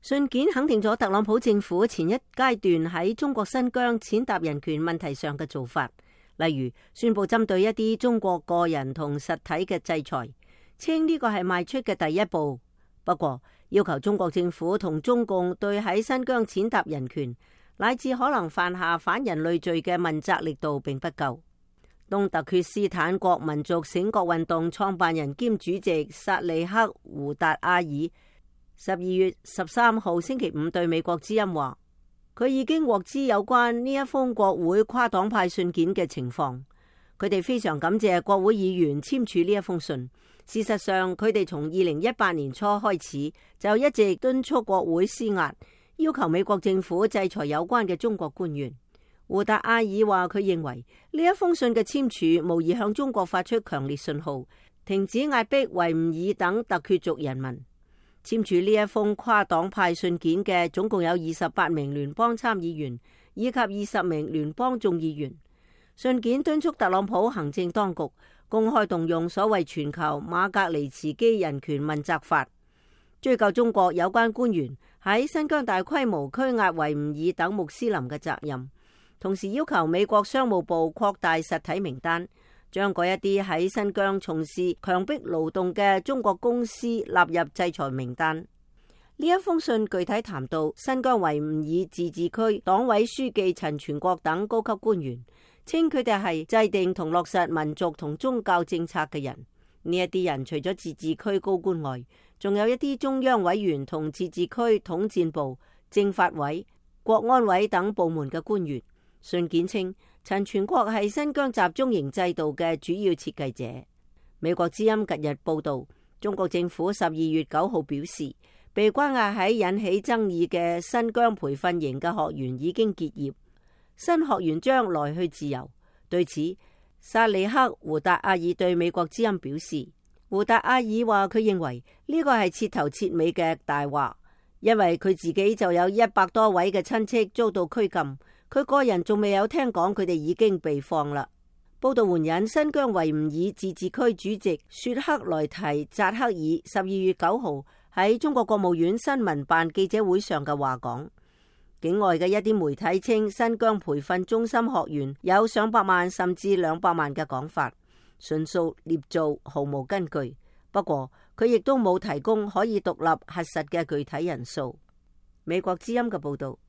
信件肯定咗特朗普政府前一階段喺中國新疆踐踏人權問題上嘅做法，例如宣布針對一啲中國個人同實體嘅制裁，稱呢個係邁出嘅第一步。不過，要求中國政府同中共對喺新疆踐踏人權乃至可能犯下反人類罪嘅問責力度並不夠。東突厥斯坦國民族醒覺運動創辦人兼主席薩利克胡達阿爾12月13號星期五對美國之音話，佢已經獲知有關呢一封國會跨黨派信件嘅情況。佢哋非常感謝國會議員簽署呢一封信。事實上，佢哋從2018年初開始就一直敦促國會施壓，要求美國政府制裁有關嘅中國官員。胡達阿爾話，佢認為呢一封信嘅簽署無疑向中國發出強烈信號，停止壓迫維吾爾等突厥族人民。簽署呢一封跨黨派信件嘅總共有28名聯邦參議員以及20名聯邦眾議員。信件敦促特朗普行政當局公開動用所謂全球馬格尼茨基人權問責法，追究中國有關官員喺新疆大規模拘押維吾爾等穆斯林嘅責任，同時要求美國商務部擴大實體名單，將嗰一啲喺新疆從事強迫勞動嘅中國公司納入制裁名單。呢一封信具體談到新疆維吾爾自治區黨委書記陳全國等高級官員，稱佢哋係制定同落實民族同宗教政策嘅人。呢一啲人除咗自治區高官外，仲有一啲中央委員同自治區統戰部、政法委、國安委等部門嘅官員。信件稱，陳全國係新疆集中營制度嘅主要設計者。美國之音近日報道，中國政府12月9號表示，被關押喺引起爭議嘅新疆培訓營嘅學員已經結業，新學員將來去自由。對此，薩利克胡達阿爾對美國之音表示，胡達阿爾話佢認為呢個係徹頭徹尾嘅大話，因為佢自己就有100多位嘅親戚遭到拘禁。佢個人仲未有聽講佢哋已經被放啦。報道援引新疆維吾爾自治區主席雪克萊提扎克爾12月9號喺中國國務院新聞辦記者會上嘅話講，境外嘅一啲媒體稱新疆培訓中心學員有上百萬甚至200萬嘅講法，純屬捏造，毫無根據。不過佢亦都冇提供可以獨立核實嘅具體人數。美國之音嘅報道。